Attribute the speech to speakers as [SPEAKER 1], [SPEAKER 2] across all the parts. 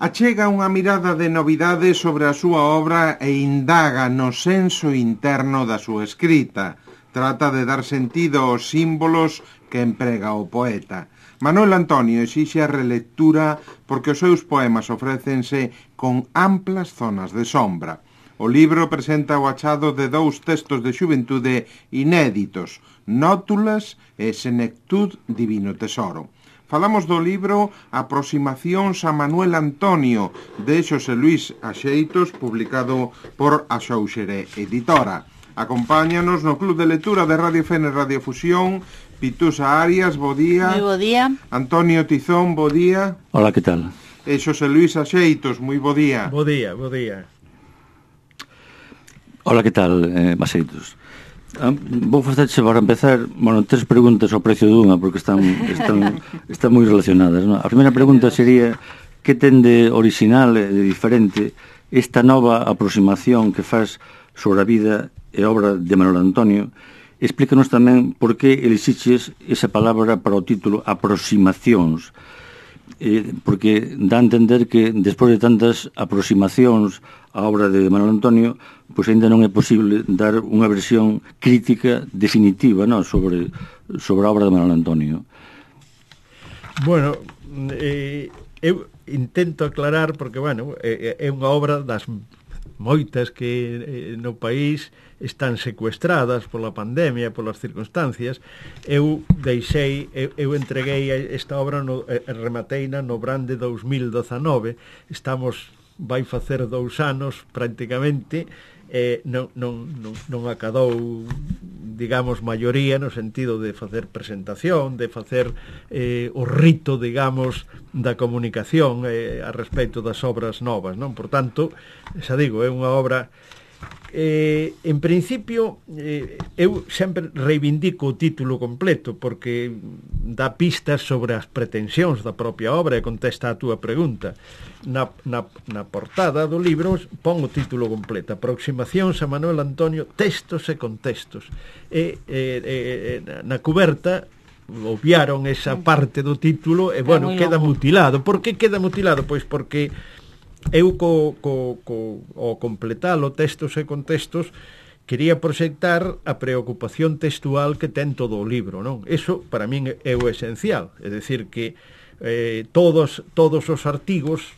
[SPEAKER 1] Achega unha mirada de novidade sobre a súa obra e indaga no senso interno da súa escrita. Trata de dar sentido aos símbolos que emprega o poeta. Manuel Antonio exixe a relectura porque os seus poemas ofrécense con amplas zonas de sombra. O libro presenta o achado de dous textos de xuventude inéditos, Nótulas e Senectud Divino Tesoro. Falamos do libro Aproximacións a Manuel Antonio, de Xosé Luís Axeitos, publicado por Axóuxere Editora. Acompáñanos no Club de Lectura de Radio Fene Radiofusión, Pitusa Arias, bo día.
[SPEAKER 2] Moi bo día.
[SPEAKER 1] Antonio Tizón, bo día.
[SPEAKER 3] Hola, que tal?
[SPEAKER 1] E Xosé Luís Axeitos, moi bo día.
[SPEAKER 4] Bo día, bo día.
[SPEAKER 3] Hola, que tal, Axeitos? Vou facerche para empezar, tres preguntas ao precio dunha, porque están moi relacionadas, non? A primeira pregunta sería que ten de original e de diferente esta nova aproximación que faz sobre a vida e obra de Manuel Antonio. Explícanos tamén por que elixiches esa palabra para o título Aproximacións, porque dá a entender que despois de tantas aproximacións á obra de Manuel Antonio, pois ainda non é posible dar unha versión crítica definitiva, non, sobre a obra de Manuel Antonio.
[SPEAKER 4] Bueno, eu intento aclarar porque, é unha obra das moitas que no país están secuestradas pola pandemia, polas circunstancias. Eu entreguei esta obra, remateina no Brán de 2019. Vai facer 2 anos prácticamente. Non acadou, digamos, maioría no sentido de facer presentación, de facer o rito, digamos, da comunicación a respecto das obras novas, non? Por tanto, xa digo, é unha obra en principio eu sempre reivindico o título completo porque dá pistas sobre as pretensións da propia obra e contesta a túa pregunta. Na portada do libro pon o título completo: Aproximacións a Manuel Antonio, textos e contextos. Na cuberta obviaron esa parte do título e, queda mutilado. Por que queda mutilado? Pois porque eu ao completalo textos e contextos quería proxectar a preocupación textual que ten todo o libro, non? Eso para min é o esencial, é dicir que todos os artigos,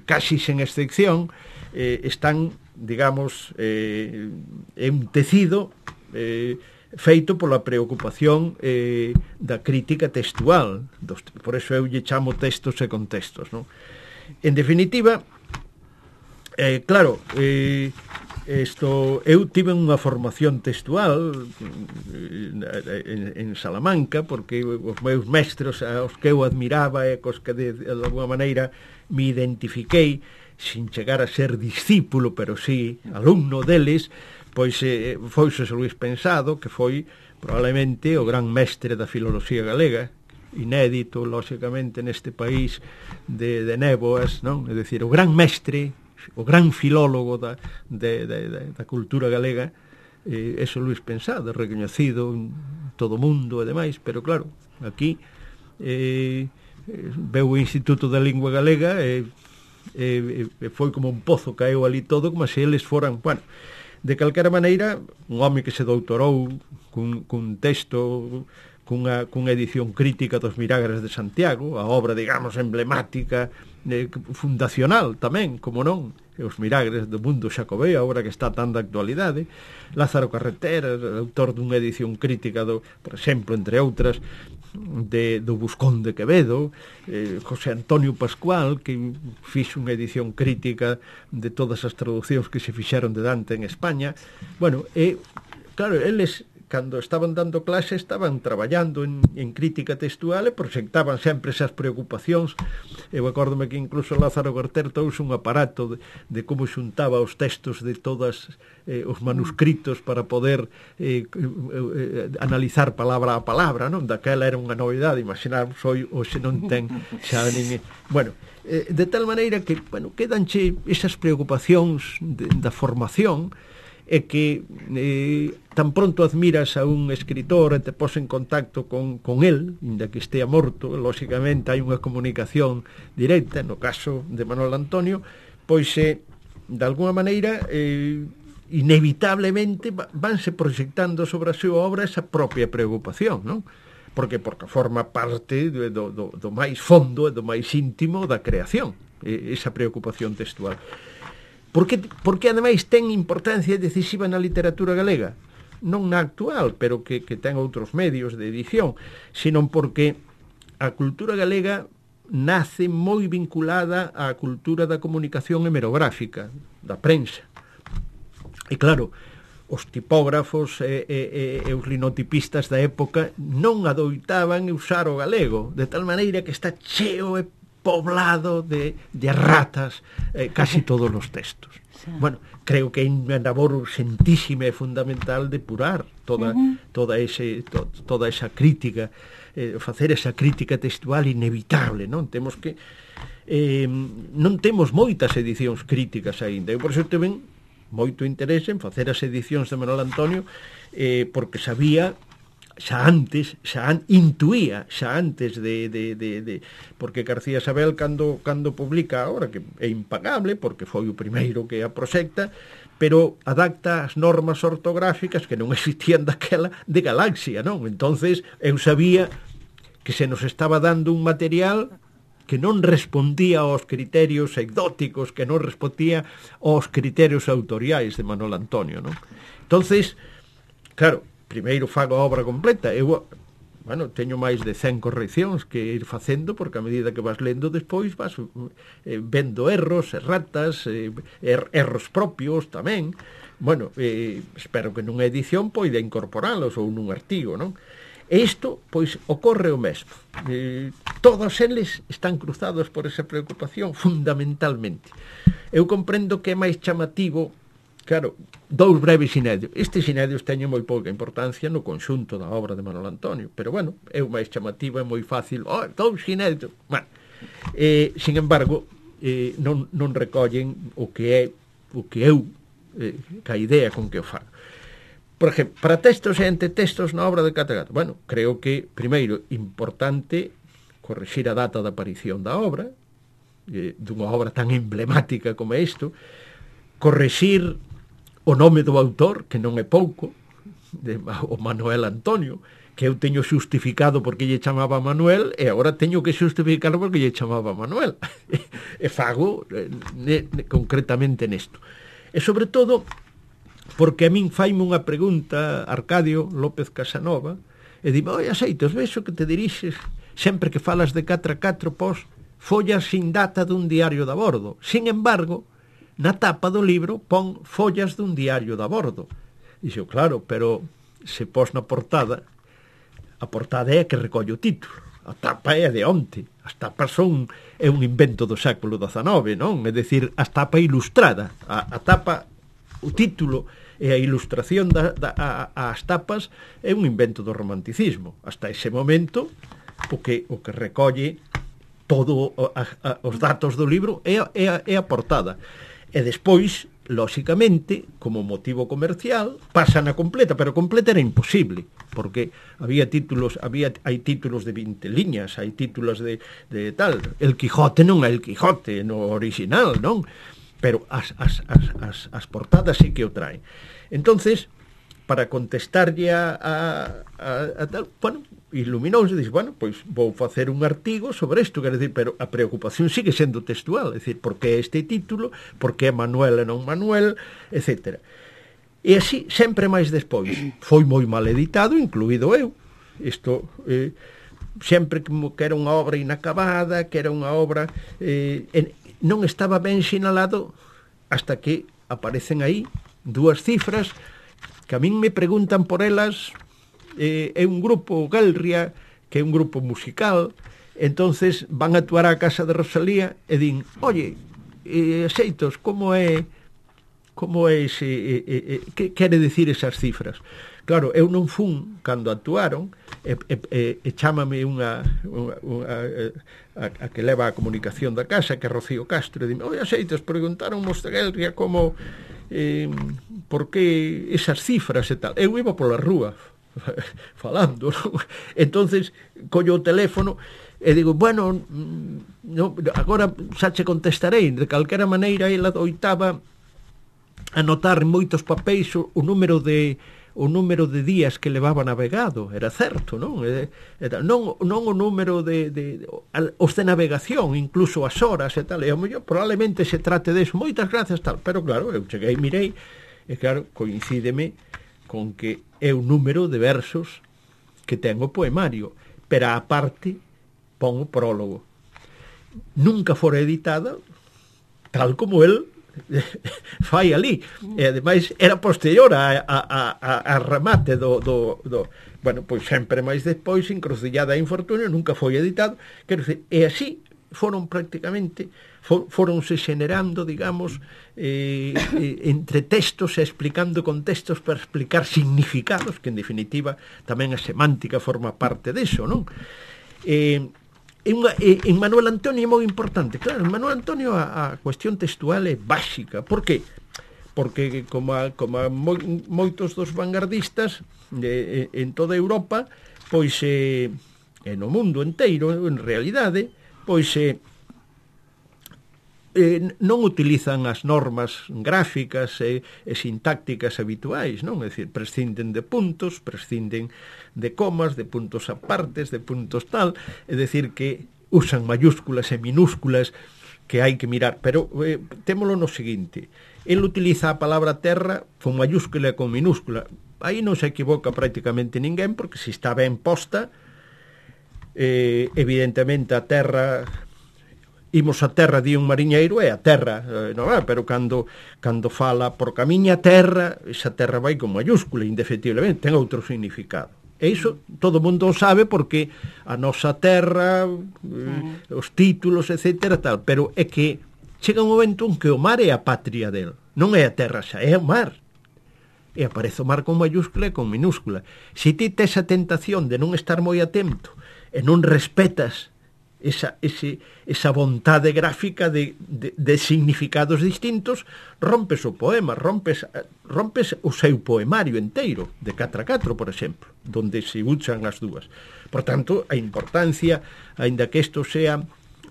[SPEAKER 4] casi sen excepción, están, digamos, en tecido feito pola preocupación da crítica textual. Por eso eu lle chamo textos e contextos, non? En definitiva, claro, eu tive unha formación textual en Salamanca, porque os meus mestres aos que eu admiraba e cos que de alguma maneira me identifiquei, sin chegar a ser discípulo, pero sí alumno deles, pois foi Xosé Luís Pensado, que foi probablemente o gran mestre da filoloxía galega, inédito, lóxicamente, neste país de néboas, non? É dicir, o gran mestre, o gran filólogo da cultura galega, é Xosé Luís Pensado, recoñecido en todo o mundo e demais, pero claro, aquí veu o Instituto da Lingua Galega e foi como un pozo, caeu ali todo, como se eles foran, de calquera maneira, un home que se doutorou cun texto, cunha edición crítica dos Milagres de Santiago, a obra, digamos, emblemática, fundacional tamén, como non, os Milagres do mundo xacobeo, a obra que está tan de actualidade. Lázaro Carretera, autor dunha edición crítica por exemplo, entre outras, do Buscón de Quevedo, José Antonio Pascual, que fixo unha edición crítica de todas as traduccións que se fixeron de Dante en España. Claro, eles, cando estaban dando clase, estaban traballando en crítica textual e proxectaban sempre esas preocupacións. Eu acórdome que incluso Lázaro Carretera trouxe un aparato de como xuntaba os textos de todos os manuscritos para poder analizar palabra a palabra, non? Daquela era unha novidade, imaginarvos, hoxe non ten xa nin... de tal maneira que, quedanche esas preocupacións da formación. é que tan pronto admiras a un escritor e te pos en contacto con el, inda que estea morto, lóxicamente hai unha comunicación directa, no caso de Manuel Antonio, pois de alguna maneira inevitablemente vanse proxectando sobre a súa obra esa propia preocupación, non? Porque forma parte do máis fondo e do máis íntimo da creación, esa preocupación textual. Porque ademais ten importancia decisiva na literatura galega, non na actual, pero que ten outros medios de edición, senón porque a cultura galega nace moi vinculada á cultura da comunicación hemerográfica, da prensa. E claro, os tipógrafos e os linotipistas da época non adoitaban usar o galego, de tal maneira que está cheo e poblado de ratas casi todos os textos. Bueno, creo que é unha labor urgentísima e fundamental depurar toda esa crítica, facer esa crítica textual inevitable, non? Temos que non temos moitas edicións críticas aínda, e por iso teven moito interese en facer as edicións de Manuel Antonio, porque sabía intuía antes de porque García Sabel cando publica ahora, que é impagable porque foi o primeiro que a proxecta, pero adapta as normas ortográficas que non existían daquela de Galaxia, non? Entonces eu sabía que se nos estaba dando un material que non respondía aos criterios exóticos, que non respondía aos criterios autoriais de Manuel Antonio, non? Entonces, claro, primeiro fago a obra completa. Eu, teño máis de 100 correccións que ir facendo, porque a medida que vas lendo despois vas vendo erros, erratas, erros propios tamén. Espero que nunha edición poida incorporalos ou nun artigo, non? E isto, pois, ocorre o mesmo. Todos eles están cruzados por esa preocupación, fundamentalmente. Eu comprendo que é máis chamativo, claro, dous breves inéditos. Estes inéditos teñen moi pouca importancia no conxunto da obra de Manuel Antonio, pero, é o máis chamativo, é moi fácil. Dous inéditos. Sin embargo, non recollen o que eu, ca idea con que o fago. Por exemplo, para textos e antetextos na obra de Catagato. Creo que, primeiro, importante corrixir a data da aparición da obra, dunha obra tan emblemática como isto, corrixir o nome do autor, que non é pouco, o Manuel Antonio, que eu teño xustificado porque lle chamaba Manuel, e agora teño que xustificarlo porque lle chamaba Manuel. E fago concretamente nesto. E, sobre todo, porque a min faime unha pregunta Arcadio López Casanova e dime, Axeitos, vexo que te dirixes sempre que falas de 4x4 pos follas sin data dun diario de a bordo. Sin embargo, na tapa do libro pon follas dun diario de a bordo. Dixo, claro, pero se pos na portada, a portada é a que recolle o título, a tapa é a de onte, as tapas é un invento do século XIX, non? É dicir, a tapa ilustrada, a tapa, o título e a ilustración ás tapas é un invento do romanticismo. Hasta ese momento o que recolle todo os datos do libro é a portada. E despois, lóxicamente, como motivo comercial, pasa na completa, pero completa era imposible, porque hai títulos de 20 liñas, hai títulos de tal. El Quijote non é El Quijote no original, non? Pero as portadas sí que o traen. Entonces, para contestarlle a tal, iluminouse, dixe, pois vou facer un artigo sobre isto, quer dizer, pero a preocupación sigue sendo textual, é dicir, por que este título, por que Manuel e non Manuel, etc. E así, sempre máis despois, foi moi mal editado, incluído eu. Isto, sempre que era unha obra inacabada, que era unha obra... non estaba ben sinalado hasta que aparecen aí dúas cifras que a min me preguntan por elas. É un grupo Galria, que é un grupo musical, entonces van a actuar á casa de Rosalía e din, Axeitos, como é que quere dicir esas cifras? Claro, eu non fun cando actuaron, e chámame a que leva a comunicación da casa, que é Rocío Castro, e dime, Axeitos, preguntaron de Galria como... por que esas cifras e tal. Eu iba pola rúa falando, non? Entonces collo o teléfono e digo, bueno, no, agora xa che contestarei. De calquera maneira, ela oitaba anotar en moitos papéis o número de días que levaba navegado. Era certo, non? Non o número os de navegación, incluso as horas e tal. E ao mellor probablemente se trate deso. Moitas gracias, tal. Pero claro, eu cheguei, mirei, e claro, coincídeme con que é o número de versos que ten o poemario. Pero á parte pon o prólogo. Nunca fora editada tal como el fai ali. E ademais era posterior a remate do bueno, pois sempre máis despois, Encrucillada e Infortunio, nunca foi editado. Quero dizer, e así foron prácticamente foronse xenerando, digamos, entre textos e explicando contextos para explicar significados, que en definitiva tamén a semántica forma parte deso, non? En Manuel Antonio é moi importante. Claro, en Manuel Antonio a cuestión textual é básica. Por que? Porque como moitos dos vanguardistas en toda Europa, pois e no mundo enteiro, en realidade, pois non utilizan as normas gráficas e sintácticas habituais, non? É dicir, prescinden de puntos, prescinden de comas, de puntos apartes, de puntos tal, é dicir que usan mayúsculas e minúsculas que hai que mirar, pero témolo no seguinte: el utiliza a palabra terra con mayúscula e con minúscula. Aí non se equivoca prácticamente ninguén, porque se está ben posta, evidentemente a terra, imos a terra, di un mariñeiro, é a terra, non é? Pero cando fala por camiña terra, esa terra vai con mayúscula, indefectiblemente, ten outro significado. E iso todo o mundo o sabe, porque a nosa terra, os títulos, etcétera, tal, pero é que chega un momento en que o mar é a patria del, non é a terra xa, é o mar. E aparece o mar con mayúscula e con minúscula. Se ti tes a tentación de non estar moi atento e non respetas esa vontade gráfica de significados distintos, rompes o poema, rompes o seu poemario enteiro, de 4 a 4, por exemplo, donde se usan as dúas. Por tanto, a importancia, aínda que isto sea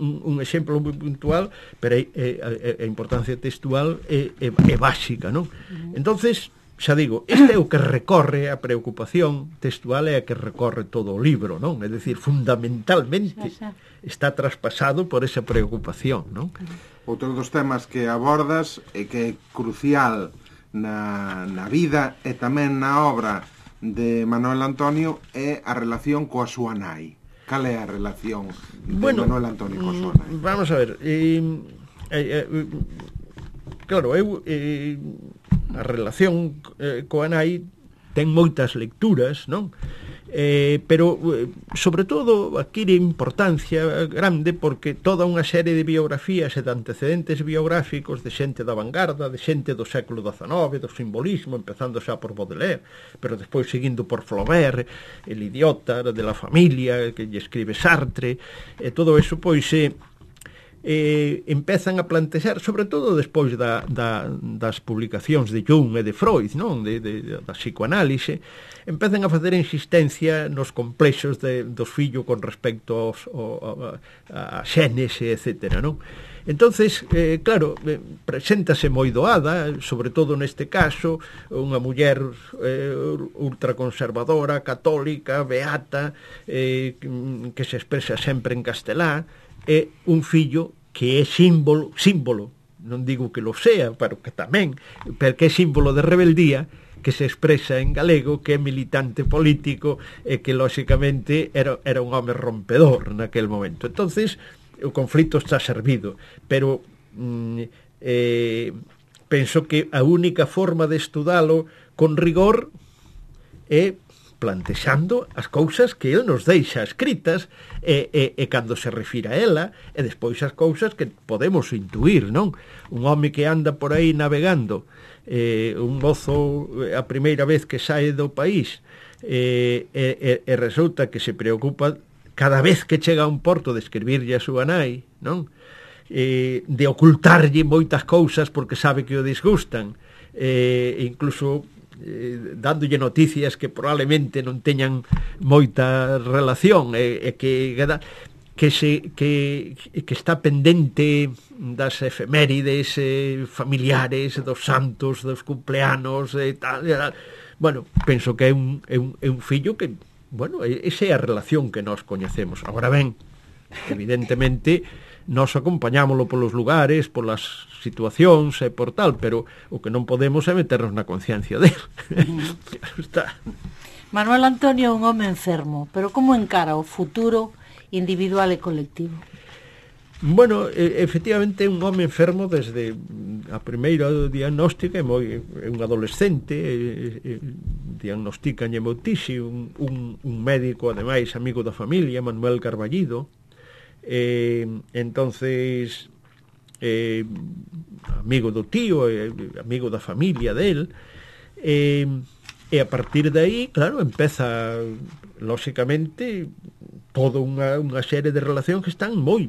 [SPEAKER 4] un exemplo moi puntual, pero a importancia textual é básica, non? Entonces, xa digo, este é o que recorre a preocupación textual, é a que recorre todo o libro, non? É dicir, fundamentalmente está traspasado por esa preocupación, non?
[SPEAKER 1] Outro dos temas que abordas e que é crucial na vida e tamén na obra de Manuel Antonio é a relación coa súa nai. Cal é a relación de Manuel Antonio coa súa nai?
[SPEAKER 4] Vamos a ver, claro, a relación coa nai ten moitas lecturas, non? Pero sobre todo adquire importancia grande porque toda unha serie de biografías e de antecedentes biográficos de xente da vanguarda, de xente do século XIX, do simbolismo, empezando xa por Baudelaire, pero despois seguindo por Flaubert, El idiota de la familia, que lle escribe Sartre, e todo eso pois empezan a plantear, sobre todo despois das publicacións de Jung e de Freud, non? Da psicoanálise, empezan a facer insistencia nos complexos dos fillos con respecto a xenes, etc., non? Entonces, claro, preséntase moi doada, sobre todo neste caso, unha muller ultraconservadora, católica, beata, que se expresa sempre en castelán, é un fillo que é símbolo, non digo que lo sea, pero que tamén, porque é símbolo de rebeldía, que se expresa en galego, que é militante político e que, lóxicamente, era un home rompedor naquel momento. Entonces, o conflito está servido, pero penso que a única forma de estudalo con rigor é plantexando as cousas que el nos deixa escritas e cando se refira a ela, e despois as cousas que podemos intuir, non? Un home que anda por aí navegando, un mozo a primeira vez que sae do país, e resulta que se preocupa cada vez que chega a un porto de escribirlle a súa nai, non? de ocultarlle moitas cousas porque sabe que o disgustan, incluso dándolle noticias que probablemente non teñan moita relación, que está pendente das efemérides familiares, dos santos, dos cumpleanos e tal. Bueno, penso que é un fillo que, bueno, esa é a relación que nós coñecemos. Agora ben, evidentemente nós acompañámoslo polos lugares, polas situacións e por tal, pero o que non podemos é meternos na conciencia dele. Está.
[SPEAKER 2] Manuel Antonio é un home enfermo, pero como encara o futuro individual e colectivo?
[SPEAKER 4] Bueno, efectivamente é un home enfermo desde a primeira diagnóstica, é un adolescente, diagnosticanlle moutise, un médico, ademais, amigo da familia, Manuel Carballido, entonces amigo do tío, amigo da familia del, e a partir de aí, claro, empeza lóxicamente toda unha serie de relacións que están moi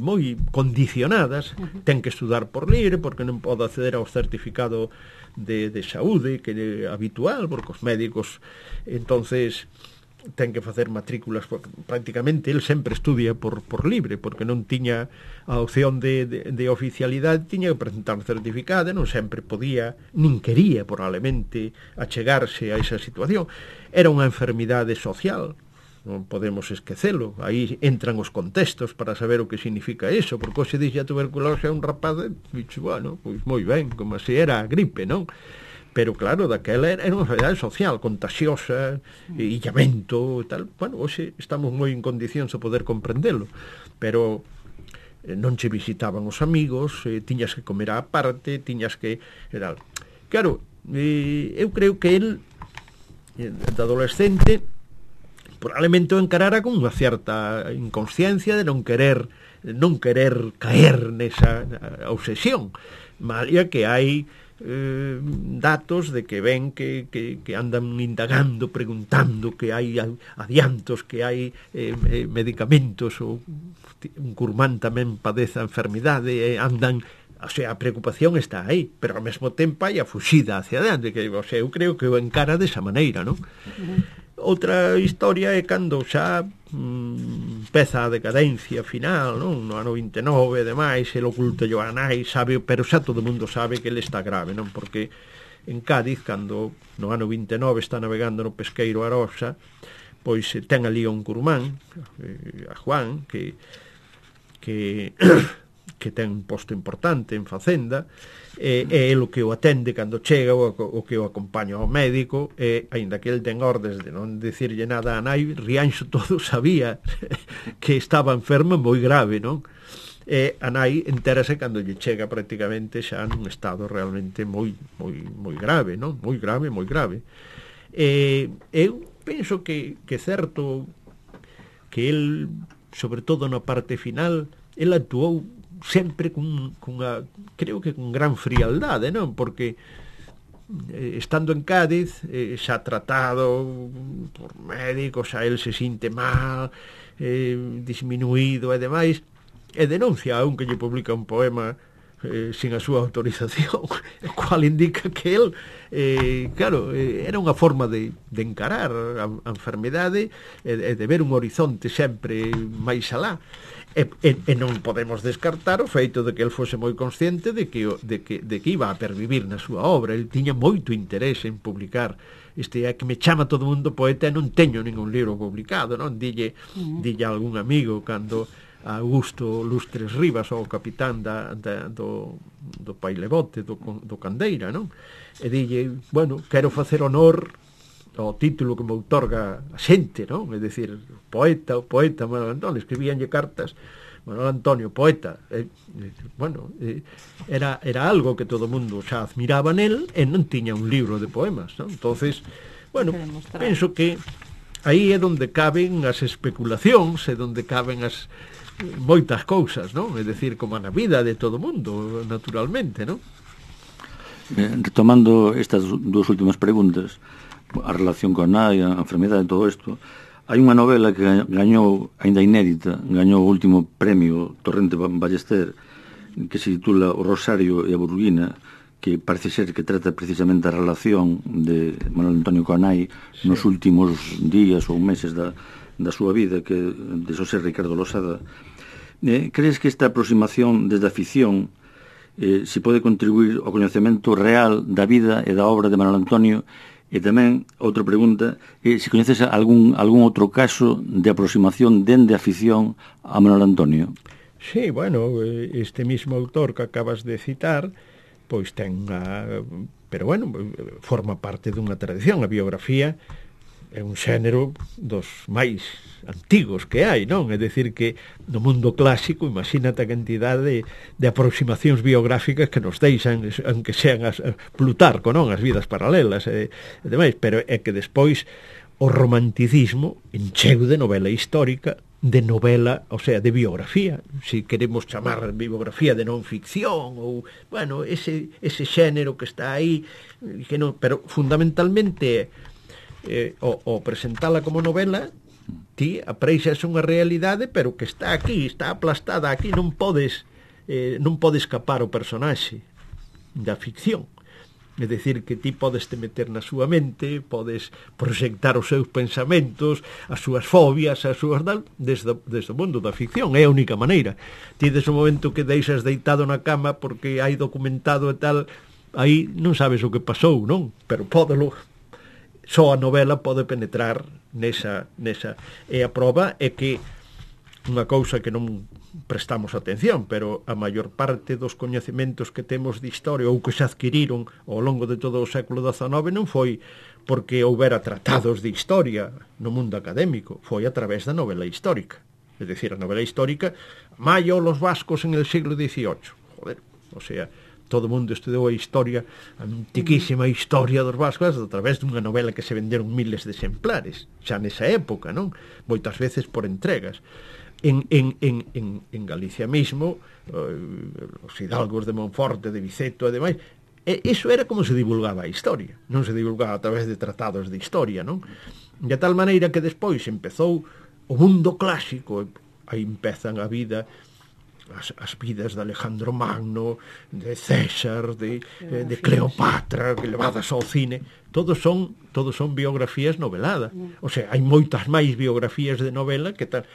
[SPEAKER 4] condicionadas. Ten que estudar por libre porque non pode acceder ao certificado de saúde que é habitual, porque os médicos entonces ten que facer matrículas, porque prácticamente el sempre estudia por libre, porque non tiña a opción de oficialidade, tiña que presentar un certificado, non sempre podía, nin quería probablemente achegarse a esa situación. Era unha enfermidade social, non podemos esquecelo. Aí entran os contextos para saber o que significa eso, porque se dixe a tuberculose a un rapaz, bueno, pois moi ben, como se era a gripe, non? Pero claro, daquela era unha enfermidade social, contagiosa, illamento e tal. Bueno, hoxe estamos moi en condicións de poder comprendelo, pero non che visitaban os amigos, tiñas que comer á parte, tiñas que... Claro, eu creo que el, de adolescente, probablemente o encarara con unha certa inconsciencia de non querer caer nesa obsesión, malia que hai datos de que ven que andan indagando, preguntando, que hai adiantos, que hai medicamentos, ou un curmán tamén padece a enfermidade, andan, o sea, a preocupación está aí, pero ao mesmo tempo hai a fuxida hacia adiante, que, o sea, eu creo que o encara desa maneira, non? Outra historia é cando xa empeza a decadencia final, non? No ano 29 e demais, el oculta a nai, sabe, pero xa todo o mundo sabe que ele está grave, non? Porque en Cádiz, cando no ano 29 está navegando no pesqueiro Arosa, pois ten ali un curmán, a Juan, que ten un posto importante en Facenda, é el o que o atende cando chega, o que o acompaña ao médico, e aínda que el ten ordes de non dicirlle nada a nai, Rianxo todo sabía que estaba enfermo moi grave, non? E a nai entérase cando lle chega prácticamente xa nun estado realmente moi grave, non? Moi grave. Eu penso que certo que el, sobre todo na parte final, el actuou sempre cunha, creo que con gran frialdade, non? Porque estando en Cádiz, xa tratado por médicos, xa el se sinte mal, disminuído e demais, e denuncia a un que lle publica un poema sin a súa autorización, o cual indica que el, claro, era unha forma de encarar a enfermidade e de ver un horizonte sempre máis alá. E non podemos descartar o feito de que el fose moi consciente de que iba a pervivir na súa obra. El tiña moito interés en publicar. Este é que me chama todo mundo poeta e non teño ningún libro publicado, non? Dille a algún amigo cando a Augusto Lustres Rivas, o capitán do Pailebote, do Candeira, non? E dille, bueno, quero facer honor ao título que me outorga a xente, non? É dicir, poeta Manuel Antonio, escribíanlle cartas, Manuel Antonio, poeta, era algo que todo o mundo xa admiraba nel, e non tiña un libro de poemas, non? Entonces, bueno, penso que aí é onde caben as especulacións, é onde caben as moitas cousas, non? É dicir, como na vida de todo o mundo, naturalmente, non?
[SPEAKER 3] Retomando estas dúas últimas preguntas, a relación con a nai, a enfermedade, todo isto, hai unha novela que gañou, aínda inédita, gañou o último premio Torrente Ballester, que se titula O Rosario e a Burguina, que parece ser que trata precisamente a relación de Manuel Antonio coa nai nos últimos días ou meses da súa vida, que de Xosé Ricardo Losada. Crees que esta aproximación desde a ficción se pode contribuir ao coñecemento real da vida e da obra de Manuel Antonio? E tamén, outra pregunta, se coñeces algún outro caso de aproximación dende a ficción a Manuel Antonio?
[SPEAKER 4] Sí, bueno, este mismo autor que acabas de citar, pois ten pero bueno, forma parte dunha tradición. A biografía é un xénero dos máis antigos que hai, non? É dicir que no mundo clásico, imagínate a cantidade de aproximacións biográficas que nos deixan, aunque sean Plutarco, non? As vidas paralelas e demais, pero é que despois o romanticismo encheu de novela histórica, de novela, o sea, de biografía, se queremos chamar biografía de non ficción, ou, bueno, ese xénero que está aí, que non, pero fundamentalmente o presentala como novela, ti apreixas unha realidade, pero que está aquí, está aplastada aquí, non pode escapar o personaxe da ficción. É dicir, que ti podes te meter na súa mente, podes proxectar os seus pensamentos, as súas fobias, as súas desde o mundo da ficción. É a única maneira. Ti, desde o momento que deixas deitado na cama porque hai documentado e tal, aí non sabes o que pasou, non? Pero pódelo. Só a novela pode penetrar nesa. E a prova é que unha cousa que non prestamos atención, pero a maior parte dos coñecementos que temos de historia ou que se adquiriron ao longo de todo o século XIX non foi porque houbera tratados de historia no mundo académico, foi a través da novela histórica. É dicir, a novela histórica, Mayo los vascos en el siglo XVIII. Joder, o sea, todo o mundo estudou a historia, a antiquísima historia dos vascos a través dunha novela que se venderon miles de exemplares, xa nesa época, non? Moitas veces por entregas. En Galicia mismo, os hidalgos de Monforte, de Viceto e demais, iso era como se divulgaba a historia, non se divulgaba a través de tratados de historia, non? De tal maneira que despois empezou o mundo clásico, aí empezan a vida, as vidas de Alejandro Magno, de César, de Cleopatra, que levadas ao cine, todos son biografías noveladas. O sea, hai moitas máis biografías de novela que tal.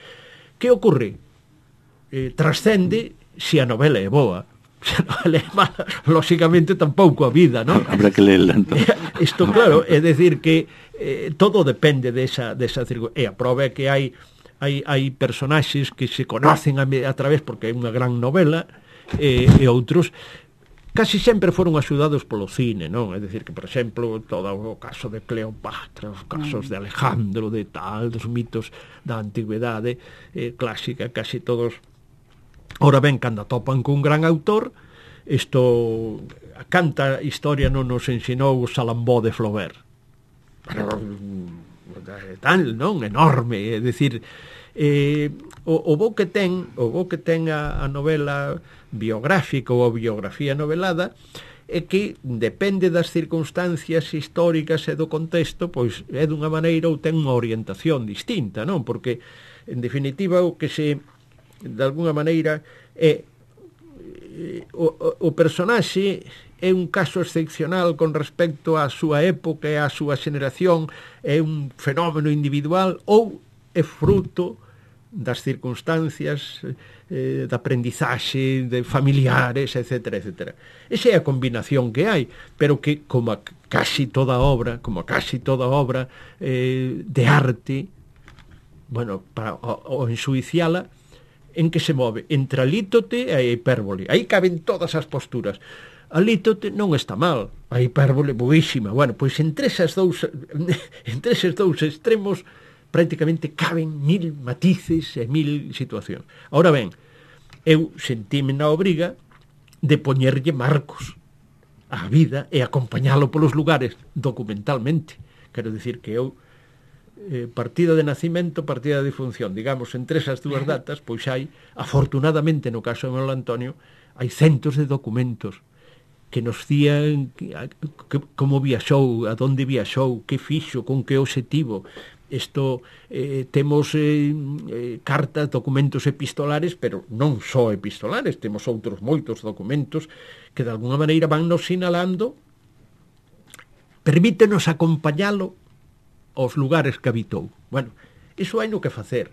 [SPEAKER 4] Que ocorre? Trascende se a novela é boa. Se a novela é mala, lóxicamente tampouco a vida, non?
[SPEAKER 3] Habrá que leerla, entón.
[SPEAKER 4] Isto, claro, é decir que todo depende desa circunstancia. E a prova é que hai personaxes que se conocen a través, porque é unha gran novela, e outros casi sempre foron axudados polo cine, non? É dicir que, por exemplo, todo o caso de Cleopatra, os casos de Alejandro, de tal, dos mitos da antigüedade clásica, casi todos. Ora ben, cando topan cun gran autor, isto, a canta historia non nos ensinou Salambó de Flaubert. Tal, non? Enorme, é dicir, o bo que ten a novela biográfica ou a biografía novelada é que depende das circunstancias históricas e do contexto, pois é dunha maneira ou ten unha orientación distinta, non? Porque, en definitiva, o que se, de alguna maneira, é o personaxe é un caso excepcional con respecto á súa época e á súa xeneración, é un fenómeno individual ou é fruto das circunstancias de aprendizaxe, de familiares, etc. Esa é a combinación que hai, pero que, como casi toda obra de arte, bueno, para o ensuiciala, en que se move entre a lítote e a hipérbole. Aí caben todas as posturas. A lítote non está mal, a hipérbole boísima. Bueno, pois entre eses dous extremos prácticamente caben 1000 matices e 1000 situacións. Ahora ben, eu sentime na obriga de poñerlle marcos á vida e acompañalo polos lugares documentalmente. Quero dicir que eu partida de nacimento, partida de difunción, digamos, entre esas dúas datas, pois hai, afortunadamente no caso de Manuel Antonio, hai centos de documentos que nos dían como viaxou, a donde viaxou, que fixo, con que obxectivo, temos cartas, documentos epistolares, pero non só epistolares, temos outros moitos documentos que de alguna maneira van nos sinalando, permítenos acompañalo aos lugares que habitou. Bueno, iso hai no que facer.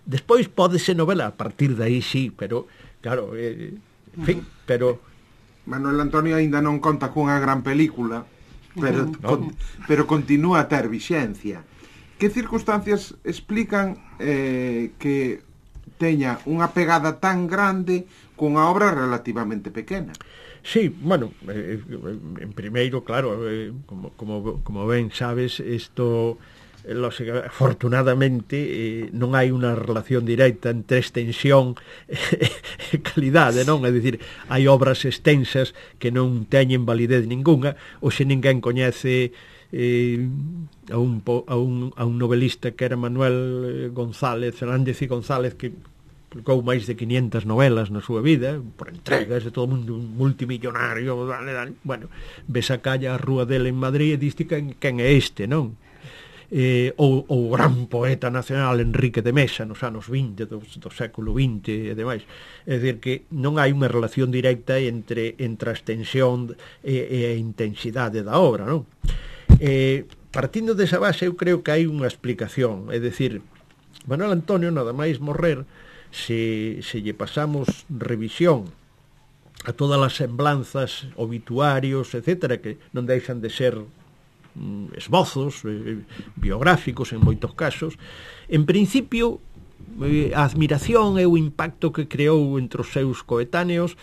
[SPEAKER 4] Despois pódese novela a partir de aí, sí, pero claro, en fin, pero
[SPEAKER 1] Manuel Antonio aínda non conta cunha gran película, pero continúa a ter vixencia. Que circunstancias explican que teña unha pegada tan grande cunha obra relativamente pequena?
[SPEAKER 4] Sí, bueno, en primeiro, claro, como ben sabes, isto, afortunadamente, non hai unha relación directa entre extensión e calidade, non? É dicir, hai obras extensas que non teñen validez ninguna, ou se ninguén coñece a un novelista que era Manuel González, Fernández y González, que publicou máis de 500 novelas na súa vida, por entregas de todo o mundo, un multimillonario, bueno, ves a calle a rúa dele en Madrid e diste quen é este, non? Ou o gran poeta nacional Enrique de Mesa nos anos 20 do século XX e demais. É dicir que non hai unha relación directa entre a extensión e a intensidade da obra, non? Partindo desa base, eu creo que hai unha explicación. É dicir, Manuel Antonio, nada máis morrer, se lle pasamos revisión a todas as semblanzas, obituarios, etcétera, que non deixan de ser esbozos biográficos en moitos casos, en principio a admiración e o impacto que creou entre os seus coetáneos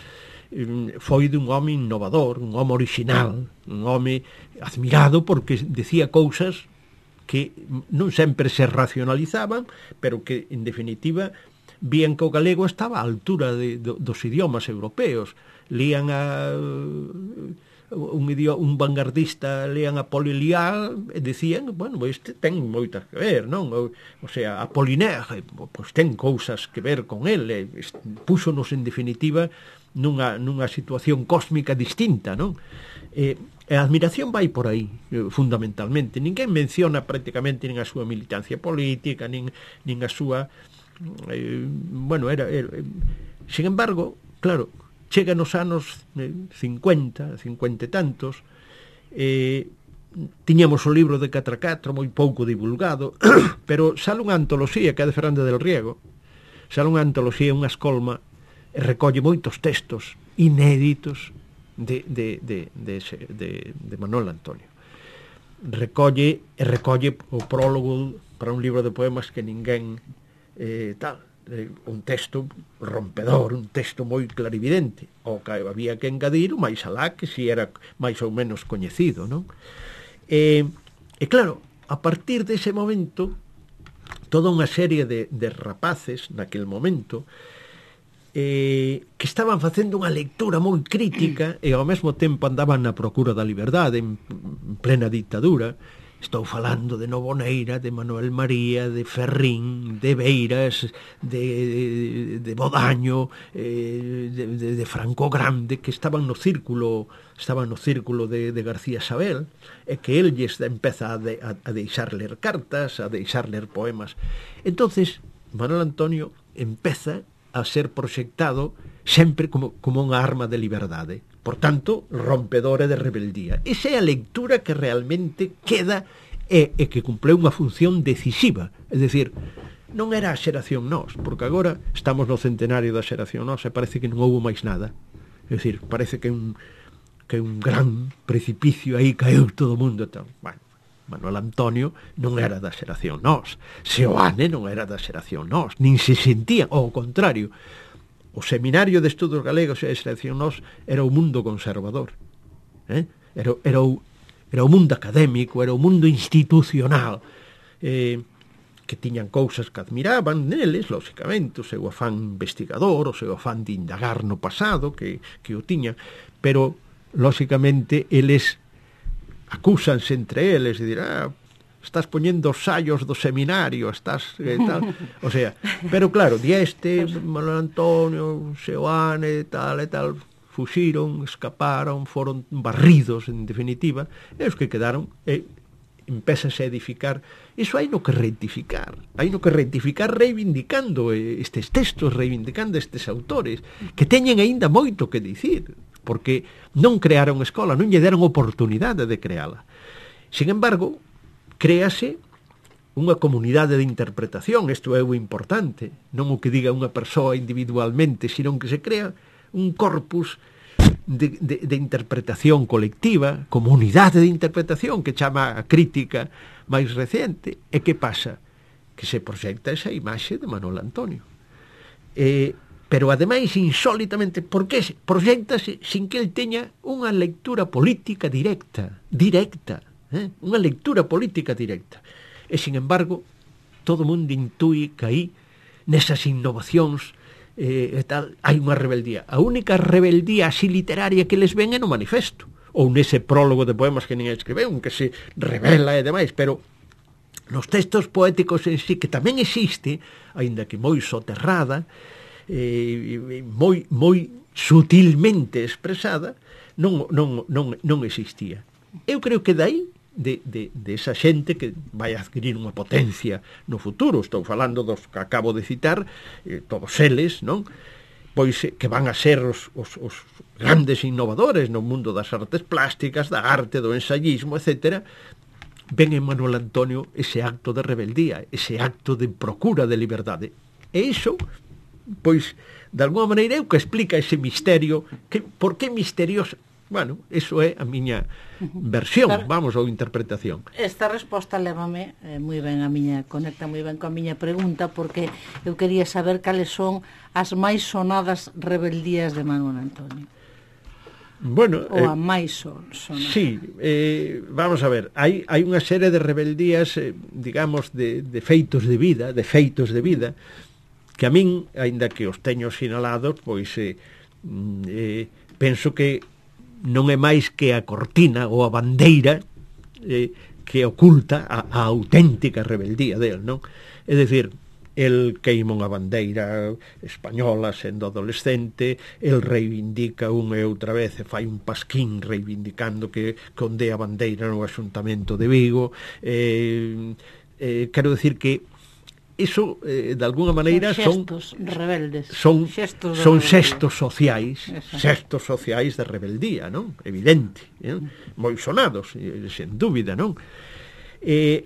[SPEAKER 4] foi dun home innovador, un home original, un home admirado porque decía cousas que non sempre se racionalizaban, pero que, en definitiva, vían que o galego estaba á altura dos idiomas europeos. Lían un vanguardista, lían a Polilial e decían, bueno, este ten moitas que ver, non? O sea, a Apollinaire, pois ten cousas que ver con ele, púxonos, en definitiva, nunha situación cósmica distinta, non? E a admiración vai por aí, fundamentalmente. Ninguén menciona prácticamente nin a súa militancia política, nin a súa... bueno, sin embargo, claro, chega nos anos 50 e tantos, tiñamos o libro de 4x4 moi pouco divulgado, pero sale unha antoloxía que é de Fernández del Riego, sale unha antoloxía, unha escolma, e recolle moitos textos inéditos de Manuel Antonio. Recolle o prólogo para un libro de poemas que ninguén un texto rompedor, un texto moi clarividente, o que había que engadir o máis alá que si era máis ou menos coñecido, non? E claro, a partir dese momento, toda unha serie de rapaces naquel momento que estaban facendo unha lectura moi crítica e ao mesmo tempo andaban na procura da liberdade en plena dictadura. Estou falando de Novoneira, de Manuel María, de Ferrín, de Beiras, de Bodaño, de Franco Grande, que estaban no círculo de García Sabel, e que el lles empeza a deixar ler cartas, a deixar ler poemas. Entonces, Manuel Antonio empeza a ser proxectado sempre como unha arma de liberdade. Por tanto, rompedora de rebeldía. Esa é a lectura que realmente queda e que cumpleu unha función decisiva. É dicir, non era a xeración Nós, porque agora estamos no centenario da xeración Nós e parece que non houve máis nada. É dicir, parece que un gran precipicio aí caeu todo o mundo. Bueno, Manuel Antonio non era da xeración Nós, Seoane non era da xeración Nós, nin se sentía, ao contrario. O Seminario de Estudos Galegos e a xeración Nós era o mundo conservador, era o mundo académico, era o mundo institucional, que tiñan cousas que admiraban neles, lóxicamente, o seu afán investigador, o seu afán de indagar no pasado, que o tiñan, pero, lóxicamente, eles acúsanse entre eles e dirán, estás poñendo os sallos do seminario, estás tal, o sea, pero claro, Manuel Antonio, Seoane, tal e tal, fuxiron, escaparon, foron barridos, en definitiva, e os que quedaron empezase a edificar, iso hai no que rectificar reivindicando estes textos, reivindicando estes autores que teñen aínda moito que dicir, porque non crearon escola, non lle deron oportunidade de creala. Sin embargo, créase unha comunidade de interpretación, isto é o importante, non o que diga unha persoa individualmente, sino que se crea un corpus de interpretación colectiva, comunidade de interpretación, que chama a crítica máis recente. E que pasa? Que se proxecta esa imaxe de Manuel Antonio. Pero ademais, insólitamente, por que proxectase sin que el teña unha lectura política directa, unha lectura política directa. E, sin embargo, todo o mundo intui que aí, nesas innovacións, tal, hai unha rebeldía. A única rebeldía así literaria que les ven é no manifesto, ou nese prólogo de poemas que nin escribeu, que se revela e demais, pero nos textos poéticos en sí, que tamén existe, aínda que moi soterrada, moi sutilmente expresada, non existía. Eu creo que dai de esa xente que vai adquirir unha potencia no futuro, estou falando dos que acabo de citar, todos eles, non? Pois que van a ser os grandes innovadores no mundo das artes plásticas, da arte, do ensayismo, etc. Ven en Manuel Antonio ese acto de rebeldía, ese acto de procura de liberdade. E iso, pois, de alguma maneira, é o que explica ese misterio. Por que misterioso? Bueno, eso é a miña versión, vamos, ou interpretación.
[SPEAKER 2] Esta resposta lévame moi ben conecta moi ben coa miña pregunta, porque eu quería saber cales son as máis sonadas rebeldías de Manuel Antonio.
[SPEAKER 4] Bueno,
[SPEAKER 2] ou a máis sonada.
[SPEAKER 4] Sí, vamos a ver, hai unha serie de rebeldías, digamos, de feitos de vida, que a min, aínda que os teño sinalados, pois penso que non é máis que a cortina ou a bandeira que oculta a auténtica rebeldía del, non? É dicir, el queima unha bandeira española sendo adolescente, el reivindica unha e outra vez e fai un pasquín reivindicando que onde a bandeira no Axuntamento de Vigo. Quero decir que iso, de alguna maneira, son
[SPEAKER 2] rebeldes.
[SPEAKER 4] Son xestos sociais de rebeldía, non? Evidente, moi sonados, sen dúbida, non?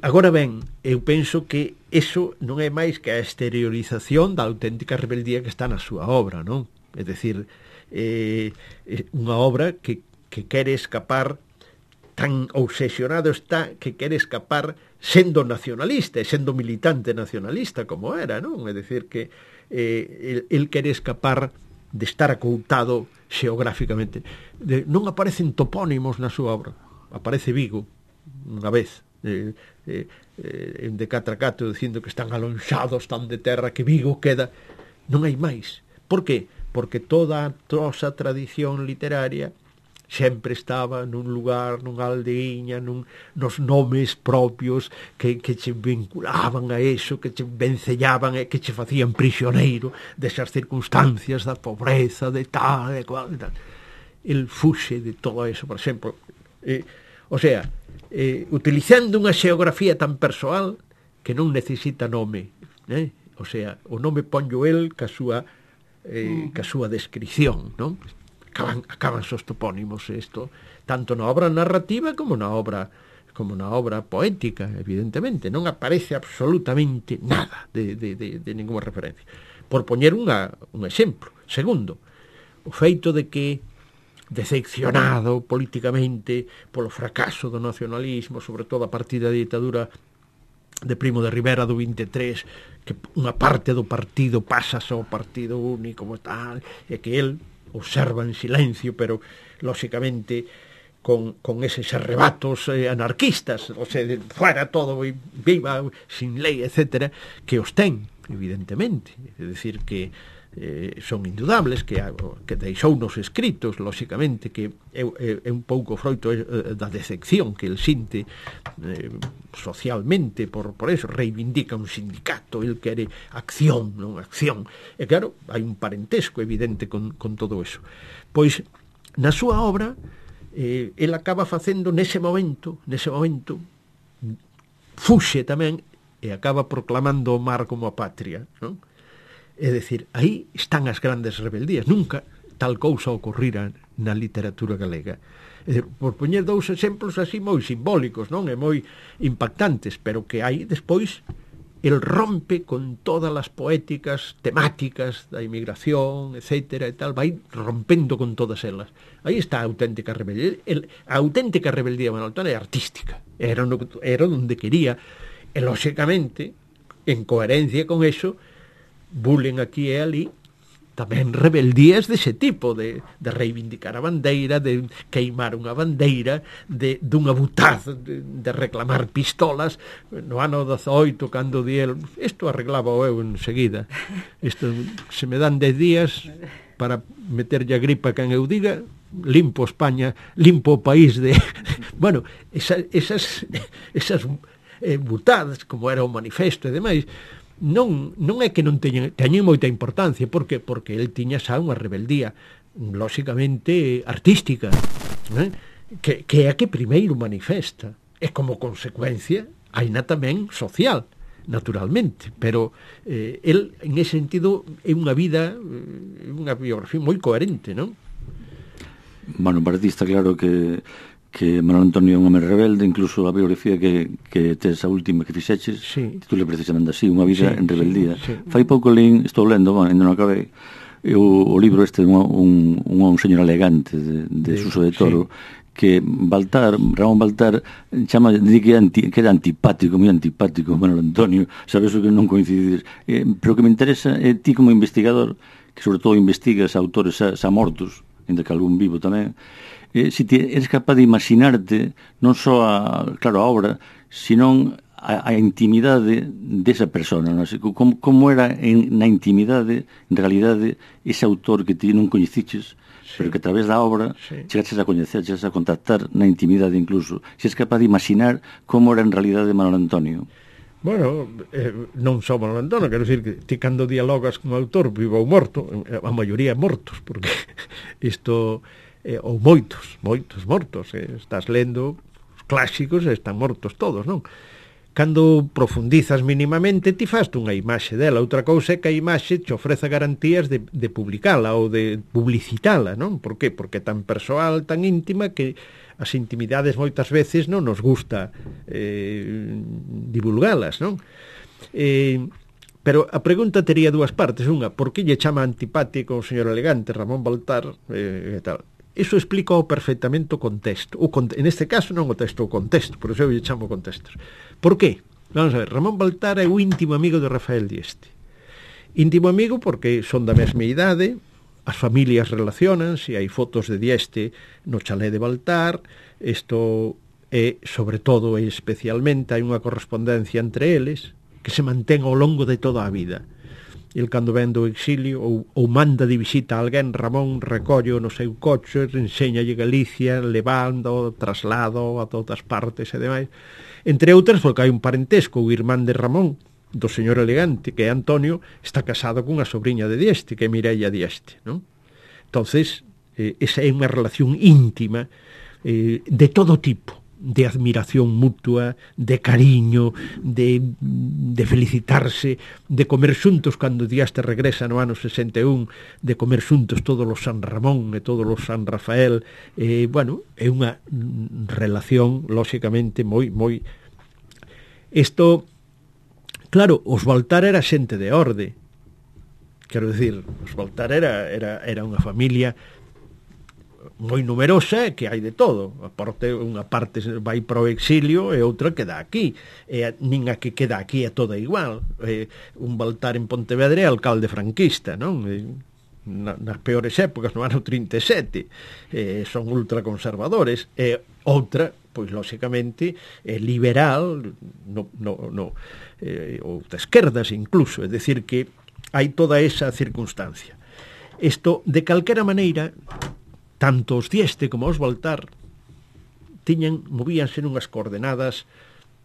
[SPEAKER 4] Agora ben, eu penso que iso non é máis que a exteriorización da auténtica rebeldía que está na súa obra, non? É dicir, unha obra que quere escapar, tan obsesionado está que quere escapar sendo nacionalista e sendo militante nacionalista como era, non? É dicir que el quere escapar de estar acoutado xeográficamente. Non aparecen topónimos na súa obra. Aparece Vigo unha vez, en de Catracato, dicindo que están alonxados tan de terra que Vigo queda. Non hai máis. Por que? Porque toda a nosa tradición literaria sempre estaba nun lugar, nunha aldeiña, nos nomes propios que che vinculaban a eso, que che vencellaban e que che facían prisioneiro desas circunstancias da pobreza, de tal, de cual, de tal. El fuxe de todo eso, por exemplo. O sea, utilizando unha xeografía tan persoal que non necesita nome, o sea, o nome ponllo el ca súa descripción, non? Acaban os topónimos, isto tanto na obra narrativa como na obra poética, evidentemente non aparece absolutamente nada de ninguna referencia. Por poñer un exemplo. Segundo, o feito de que, decepcionado políticamente polo fracaso do nacionalismo, sobre todo a partir da ditadura de Primo de Rivera do 23, que unha parte do partido pasa ao partido único como tal, e que el observa en silencio, pero lóxicamente con eses arrebatos anarquistas, o sea, fuera todo, viva, sin lei, etcétera, que os ten, evidentemente. É dicir que son indudables, que deixounos escritos, lóxicamente, que é un pouco froito da decepción que el sinte socialmente, por eso reivindica un sindicato, el quere acción, non acción. E claro, hai un parentesco evidente con todo eso. Pois, na súa obra, el acaba facendo nese momento fuxe tamén e acaba proclamando o mar como a patria, non? É dicir, aí están as grandes rebeldías. Nunca tal cousa ocorrira na literatura galega. É dicir, por poñer dous exemplos así moi simbólicos, non? E moi impactantes, pero que hai despois el rompe con todas as poéticas temáticas da inmigración, etcétera, e tal, vai rompendo con todas elas. Aí está a auténtica rebeldía. A auténtica rebeldía de Manuel Antón é artística. Era onde quería. E, lóxicamente, en coherencia con eso, bulen aquí e ali tamén rebeldías dese tipo, de reivindicar a bandeira, de queimar unha bandeira, dunha butaz, de reclamar pistolas. No ano 18, cando di el, isto arreglaba eu enseguida, isto, se me dan 10 días para meterlle a gripa quen eu diga, limpo España, limpo o país de... Bueno, esas butadas, como era o manifesto e demais, non é que non teñen moita importancia. Por que? Porque el tiña xa unha rebeldía lóxicamente artística, né? que é a que primeiro manifesta, e como consecuencia haina tamén social, naturalmente, pero el en ese sentido é unha vida, unha biografía moi coherente, non?
[SPEAKER 3] Bueno, para ti está claro que Manuel Antonio é un home rebelde, incluso a biografía que tes a última que fixeches,
[SPEAKER 4] sí,
[SPEAKER 3] titula precisamente así, unha vida en rebeldía.
[SPEAKER 4] Sí.
[SPEAKER 3] Fai pouco estou lendo, ainda non acabei, o libro este de un señor elegante de Suso de Toro, sí, que Ramón Baltar chama que era antipático, moi antipático Manuel Antonio, sabes o que non coincides, pero o que me interesa é ti como investigador, que sobre todo investigas autores xa mortos, ainda que algún vivo tamén, se eres capaz de imaginarte non só a obra, senón a intimidade desa persona, non? Como era na intimidade, en realidade, ese autor que ti non coñeciches, sí, pero que a través da obra, sí, chegaches a coñecer, chegaches a contactar na intimidade incluso. Se eres capaz de imaginar como era en realidade Manuel Antonio.
[SPEAKER 4] Bueno, non só Manuel Antonio, quero dicir que ti cando dialogas con o autor, vivo ou morto, a maioría mortos, porque isto... ou moitos mortos, estás lendo os clásicos e están mortos todos, non? Cando profundizas mínimamente ti faste unha imaxe dela, outra cousa é que a imaxe te ofrece garantías de publicala ou de publicitala, non? Por qué? Porque é tan persoal, tan íntima, que as intimidades moitas veces non nos gusta divulgalas, non? Pero a pregunta tería dúas partes. Unha, por que lle chama antipático o señor elegante Ramón Baltar e tal? Iso explica perfectamente o contexto. En este caso non o texto, o contexto, por iso eu lle chamo contextos. Por qué? Vamos a ver, Ramón Baltar é o íntimo amigo de Rafael Dieste. Íntimo amigo porque son da mesma idade, as familias relacionanse, hai fotos de Dieste no chalé de Baltar, isto é, sobre todo e especialmente, hai unha correspondencia entre eles que se mantén ao longo de toda a vida. El cando ven do exilio ou manda de visita a alguén, Ramón recollo no seu coche, enséñalle Galicia, levando, traslado a todas partes e demais. Entre outras, porque hai un parentesco, o irmán de Ramón, do señor elegante, que é Antonio, está casado cunha sobrinha de Dieste, que é Mireia Dieste, non? Entonces, esa é unha relación íntima de todo tipo, de admiración mutua, de cariño, de felicitarse, de comer xuntos cando Dieste regresa no ano 61, de comer xuntos todos os San Ramón e todos os San Rafael. Bueno, é unha relación lóxicamente moi... Isto, claro, os Baltar era xente de orde, quero dicir, os Baltar era unha familia moi numerosa, que hai de todo. Unha parte vai para o exilio e outra queda aquí. Nin a que queda aquí é toda igual. Un Baltar en Pontevedra é alcalde franquista, non? Nas peores épocas, no ano 37, son ultraconservadores. E outra, pois lóxicamente, liberal, ou de esquerdas incluso. É dicir que hai toda esa circunstancia. Isto, de calquera maneira, tanto os Dieste como os Baltar movíanse nunhas coordenadas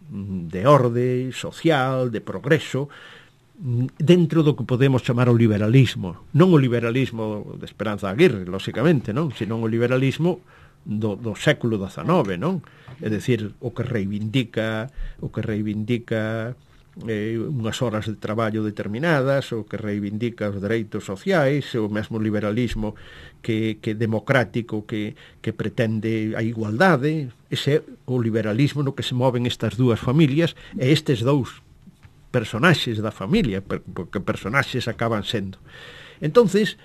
[SPEAKER 4] de orde social, de progreso, dentro do que podemos chamar o liberalismo. Non o liberalismo de Esperanza Aguirre, lóxicamente, non? Senón o liberalismo do século XIX, non? É dicir, o que reivindica unhas horas de traballo determinadas, o que reivindica os dereitos sociais, o mesmo liberalismo que democrático que pretende a igualdade. Ese é o liberalismo no que se moven estas dúas familias e estes dous personaxes da familia, porque personaxes acaban sendo. Entonces,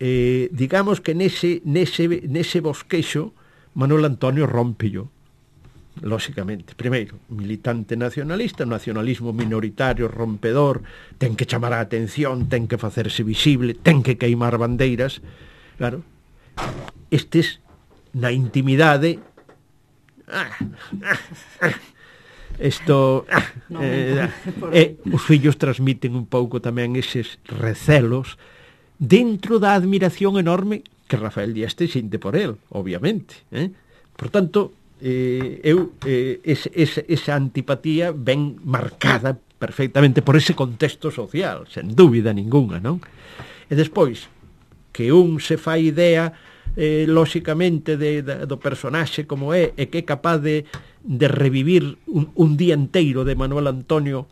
[SPEAKER 4] digamos que nese bosquexo Manuel Antonio rómpello, lóxicamente. Primeiro, militante nacionalista, nacionalismo minoritario, rompedor, ten que chamar a atención, ten que facerse visible, ten que queimar bandeiras. Claro, estes na intimidade os fillos transmiten un pouco tamén eses recelos dentro da admiración enorme que Rafael Dieste sinte por él, obviamente. Por tanto, esa antipatía ben marcada perfectamente por ese contexto social, sen dúbida ninguna, non? E despois, que un se fai idea, lóxicamente, do personaxe como é, e que é capaz de revivir un día inteiro de Manuel Antonio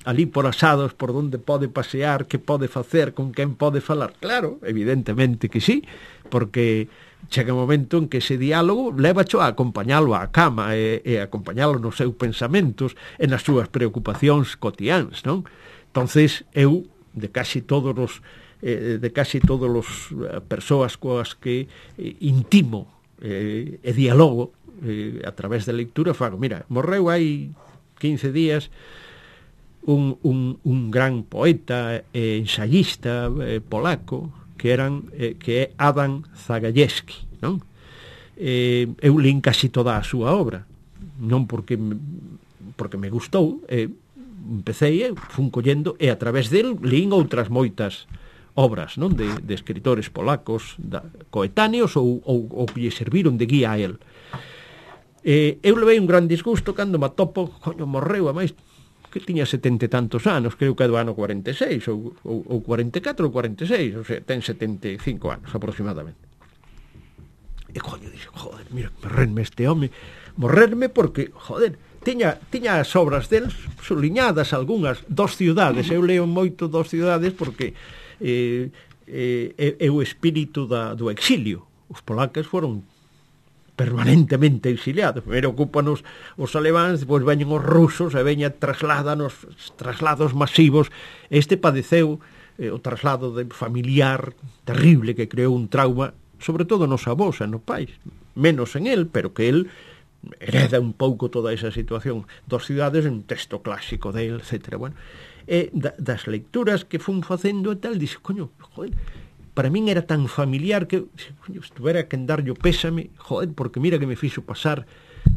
[SPEAKER 4] ali por asados, por onde pode pasear, que pode facer, con quen pode falar. Claro, evidentemente que sí, porque chega un momento en que ese diálogo levacho a acompañalo á cama e acompañalo nos seus pensamentos e nas súas preocupacións cotiáns, non? Entonces, eu, de casi todos os persoas coas que intimo e dialogo a través da lectura, fago, mira, morreu hai 15 días un gran poeta e ensayista polaco que é Adam Zagajewski, non? Eu lín casi toda a súa obra, non porque me gustou, empecé, fun collendo, e a través del lín outras moitas obras, non, de escritores polacos coetáneos ou que lle serviron de guía a él. Eu levei un gran disgusto cando me atopo, coño, morreu, a máis que tiña 70 e tantos anos, creo que é do ano 46 ou 44 ou 46, ou sea, ten 75 anos aproximadamente. E coño, dixo, joder, mira, morrerme este home, morrerme porque, joder, tiña as obras del suliñadas algunhas, Dos ciudades, eu leo moito Dos ciudades porque é o espírito do exilio. Os polacos foron permanentemente exiliados. Primeiro ocupanos os alemáns, depois veñen os rusos e veñen traslados masivos. Este padeceu o traslado familiar terrible que creou un trauma, sobre todo nos avós e nos pais, menos en el, pero que el hereda un pouco toda esa situación. Dos ciudades, un texto clásico de él, etc. Bueno, e das lecturas que fun facendo e tal, dixe, coño, joder, para min era tan familiar que, coño, estuvera que darlle o pésame, joder, porque mira que me fixo pasar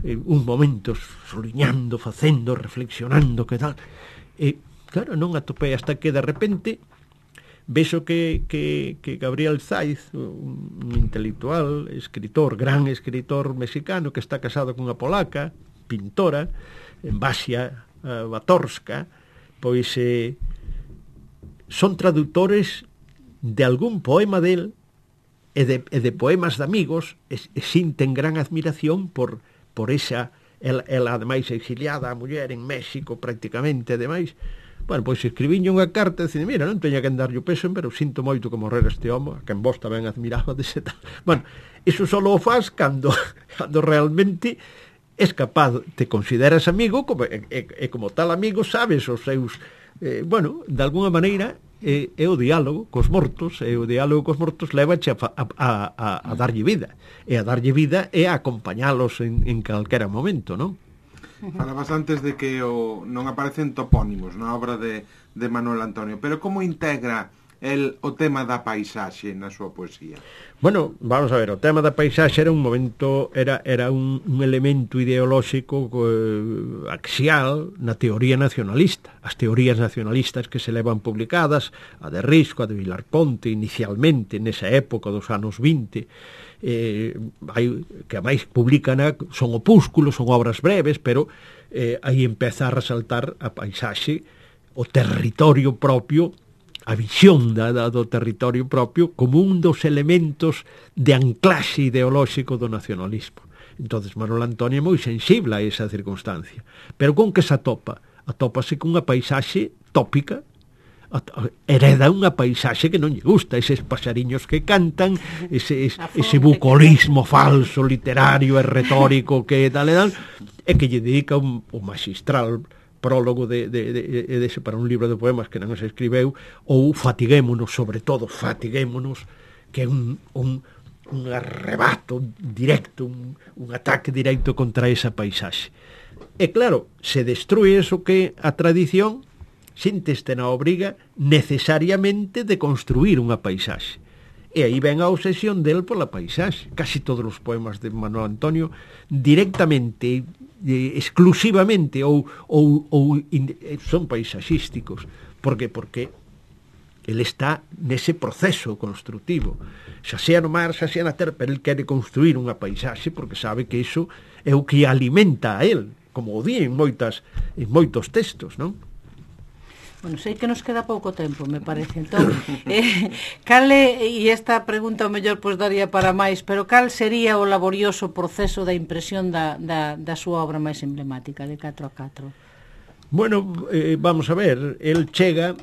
[SPEAKER 4] uns momentos soliñando, facendo, reflexionando, que tal. E, claro, non atopei hasta que de repente vexo que Gabriel Zaiz, un intelectual, escritor, gran escritor mexicano que está casado con unha polaca, pintora, Basia Batorska, pois son traductores de algún poema del e de poemas de amigos e sinten gran admiración por esa, ela ademais exiliada, a muller en México prácticamente, ademais. Bueno, pois escribinlle unha carta e dicen, mira, non teña que darlle o peso, pero sinto moito que morrer este home, que en vos tamén admiraba dese tal. Bueno, iso só o faz cando realmente es capaz, te consideras amigo e como tal amigo sabes os seus, bueno, de alguna maneira é o diálogo cos mortos, e o diálogo cos mortos levache a darlle vida, e a darlle vida é a acompañalos en calquera momento, non?
[SPEAKER 1] Falabas antes de que non aparecen topónimos na obra de Manuel Antonio, pero como integra o tema da paisaxe na súa poesía?
[SPEAKER 4] Bueno, vamos a ver, o tema da paisaxe era un momento, era un elemento ideolóxico axial na teoría nacionalista. As teorías nacionalistas que se levan publicadas, a de Risco, a de Vilar Ponte, inicialmente nesa época dos anos 20, que a máis publican, son opúsculos, son obras breves, pero aí empeza a resaltar a paisaxe, o territorio propio visión do territorio propio como un dos elementos de anclaxe ideolóxico do nacionalismo. Entonces Manuel Antonio é moi sensible a esa circunstancia. Pero con que se atopa? Atópase con unha paisaxe tópica, hereda unha paisaxe que non lle gusta, eses paxariños que cantan, ese bucolismo falso, literario e retórico que tal e tal, e que lle dedica un magistral prólogo dese para un libro de poemas que non se escribeu, ou Fatiguémonos, sobre todo Fatiguémonos, que é un arrebato directo, un ataque directo contra esa paisaxe. E claro, se destrue eso que a tradición sínteste na obriga necesariamente de construir unha paisaxe. E aí ven a obsesión del pola paisaxe. Casi todos os poemas de Manuel Antonio directamente, exclusivamente ou son paisaxísticos. Por que? Porque ele está nese proceso construtivo. Xa sea no mar, xa sea na terra, pero ele quere construir unha paisaxe porque sabe que iso é o que alimenta a él, como o di en moitos textos, non?
[SPEAKER 2] Bueno, sei que nos queda pouco tempo, me parece. Entón, cale, e esta pregunta o mellor pois daría para máis, pero cal sería o laborioso proceso da impresión da súa obra máis emblemática, de 4x4?
[SPEAKER 4] Bueno, vamos a ver, el chega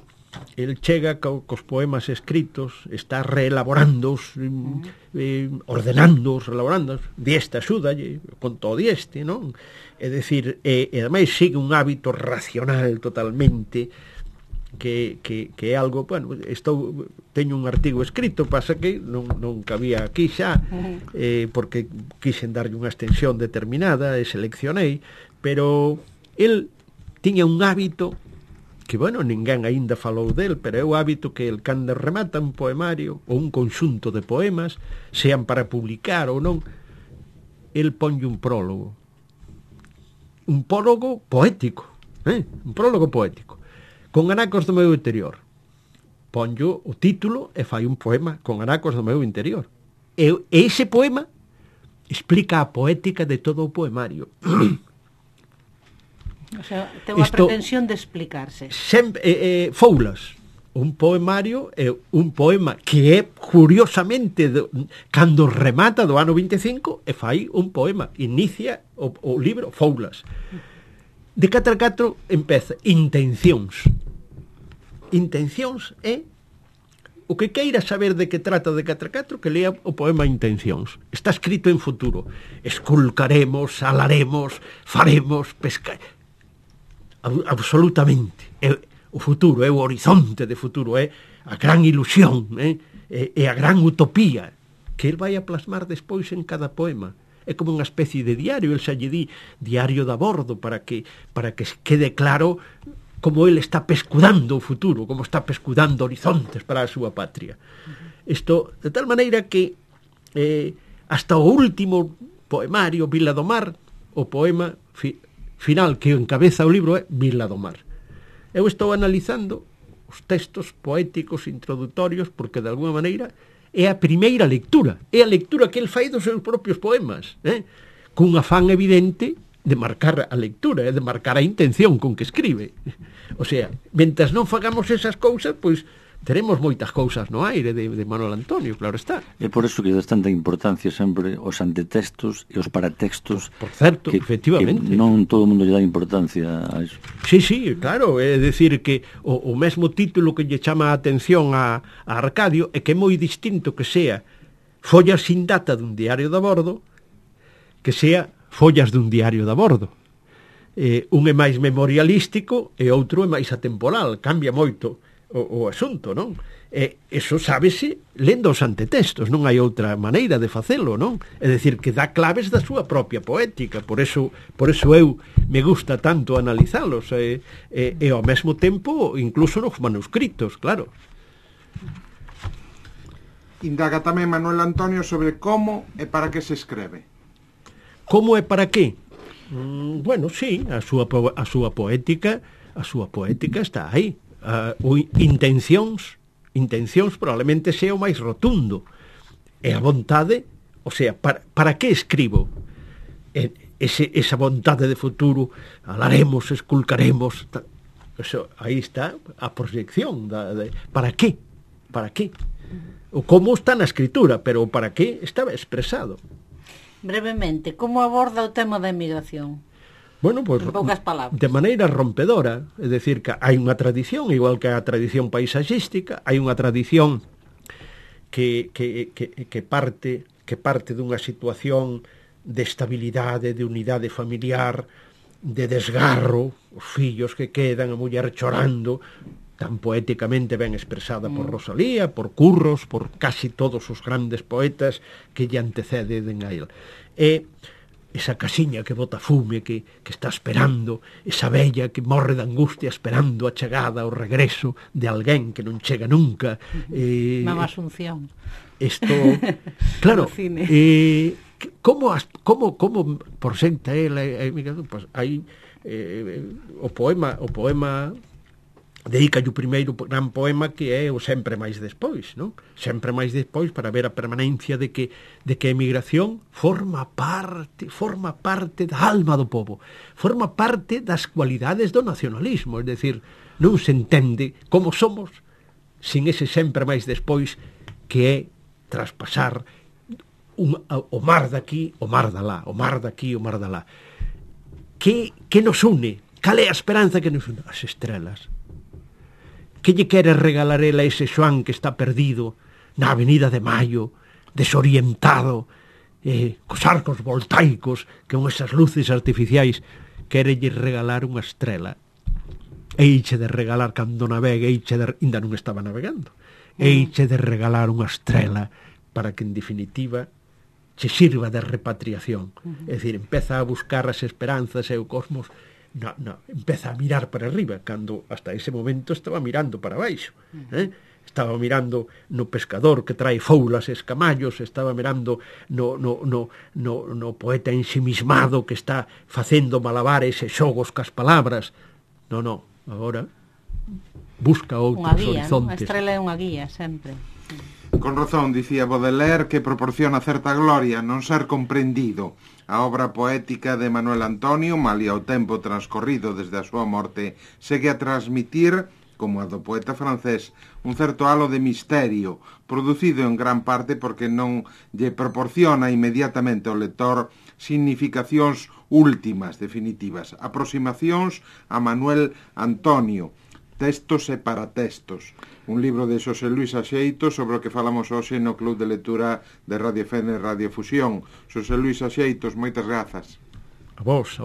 [SPEAKER 4] cos poemas escritos, está reelaborándoos, ordenándoos, relaborándoos, dieste axúdalle, con todo dieste, non? É dicir, e ademais sigue un hábito racional totalmente, que é algo, bueno, teño un artigo escrito, pasa que non cabía aquí xa, porque quixen darlle unha extensión determinada e seleccionei, pero el tiña un hábito que, bueno, ninguén aínda falou del, pero é o hábito que el cando remata un poemario ou un conxunto de poemas, sean para publicar ou non, el ponlle un prólogo poético, un prólogo poético, con anacos do meu interior. Ponllo o título e fai un poema con anacos do meu interior. E ese poema explica a poética de todo o poemario.
[SPEAKER 2] O sea, ten unha pretensión de explicarse.
[SPEAKER 4] Foulas, un poemario é un poema que é curiosamente cando remata do ano 25 e fai un poema, inicia o libro Foulas. De 4x4 empeza Intencións. Intencións é o que queira saber de que trata de 4x4, que lea o poema Intencións. Está escrito en futuro. Esculcaremos, salaremos, faremos, absolutamente. O futuro, é o horizonte de futuro, é a gran ilusión, é a gran utopía que el vai a plasmar despois en cada poema. É como unha especie de diario, el xa lle di diario de a bordo, para que quede claro como ele está pescudando o futuro, como está pescudando horizontes para a súa patria. Isto, de tal maneira que hasta o último poemario, Vila do Mar, o poema final que encabeza o libro é Vila do Mar. Eu estou analizando os textos poéticos introdutorios porque, de alguma maneira, é a primeira lectura, é a lectura que el fai dos seus propios poemas, cun afán evidente de marcar a lectura, de marcar a intención con que escribe. O sea, mentras non fagamos esas cousas, pois teremos moitas cousas no aire de Manuel Antonio, claro está.
[SPEAKER 3] É por eso que das tanta importancia sempre os antetextos e os paratextos.
[SPEAKER 4] Por certo, efectivamente.
[SPEAKER 3] Que non todo o mundo lle dá importancia a eso.
[SPEAKER 4] Sí, claro, é dicir que o mesmo título que lle chama a atención a Arcadio é que é moi distinto que sea Follas sin data dun diario de a bordo que sea Follas dun diario de a bordo. Un é máis memorialístico e outro é máis atemporal, cambia moito o asunto, non? Eso sábese lendo os antetextos, non hai outra maneira de facelo, non? É dicir, que dá claves da súa propia poética, por eso eu me gusta tanto analizalos, e ao mesmo tempo incluso nos manuscritos, claro.
[SPEAKER 1] Indaga tamén Manuel Antonio sobre como e para que se escreve.
[SPEAKER 4] Como e para que? Bueno, sí, a súa poética está aí. Intencións probablemente sea o máis rotundo, e a vontade, o sea, para que escribo esa vontade de futuro, alaremos, esculcaremos, Eso, aí está a proyección para qué? Para qué? O como está na escritura, pero o para qué estaba expresado.
[SPEAKER 2] Brevemente, como aborda o tema da emigración?
[SPEAKER 4] Bueno, pues,
[SPEAKER 2] En poucas palabras.
[SPEAKER 4] de maneira rompedora, é dicir, que hai unha tradición, igual que a tradición paisaxística, hai unha tradición que parte dunha situación de estabilidade, de unidade familiar, de desgarro, os fillos que quedan, a muller chorando, tan poéticamente ben expresada por Rosalía, por Curros, por casi todos os grandes poetas que lle anteceden a él. E esa casiña que bota fume, que está esperando, esa vella que morre de angustia esperando a chegada, o regreso de alguén que non chega nunca.
[SPEAKER 2] Mamá Asunción.
[SPEAKER 4] Isto, claro, como presenta ela a emigración? Pois hai o poema dedica o primeiro gran poema que é o Sempre máis despois, non? Sempre máis despois, para ver a permanencia de que a emigración forma parte da alma do povo, forma parte das cualidades do nacionalismo, é dicir, non se entende como somos sin ese sempre máis despois que é traspasar o mar daqui, o mar dalá, o mar daqui, o mar dalá. Que nos une? Cal é a esperanza que nos une? As estrelas. Que lle quere regalar ela ese Xoán que está perdido na Avenida de Maio, desorientado, cos arcos voltaicos, que con esas luces artificiais, quere lle regalar unha estrela. Eiche de regalar cando navegue, ainda non estaba navegando, eiche de regalar unha estrela para que, en definitiva, che sirva de repatriación. É dicir, empeza a buscar as esperanzas e o cosmos. No, empeza a mirar para arriba, cando hasta ese momento estaba mirando para baixo, estaba mirando no pescador que trae foulas e escamallos, estaba mirando no poeta ensimismado que está facendo malabares e xogos cas palabras. No, agora busca outros horizontes.
[SPEAKER 2] A estrela é unha guía, sempre.
[SPEAKER 1] Con razón, dicía Baudelaire, que proporciona certa gloria non ser comprendido. A obra poética de Manuel Antonio, malia o tempo transcorrido desde a súa morte, segue a transmitir, como a do poeta francés, un certo halo de misterio, producido en gran parte porque non lle proporciona inmediatamente ao lector significacións últimas, definitivas, aproximacións a Manuel Antonio, Textos e paratextos, un libro de Xosé Luis Axeitos sobre o que falamos hoxe no Club de Lectura de Radio FM e Radio Fusión. Xosé Luis Axeitos, moitas grazas.
[SPEAKER 4] A vos.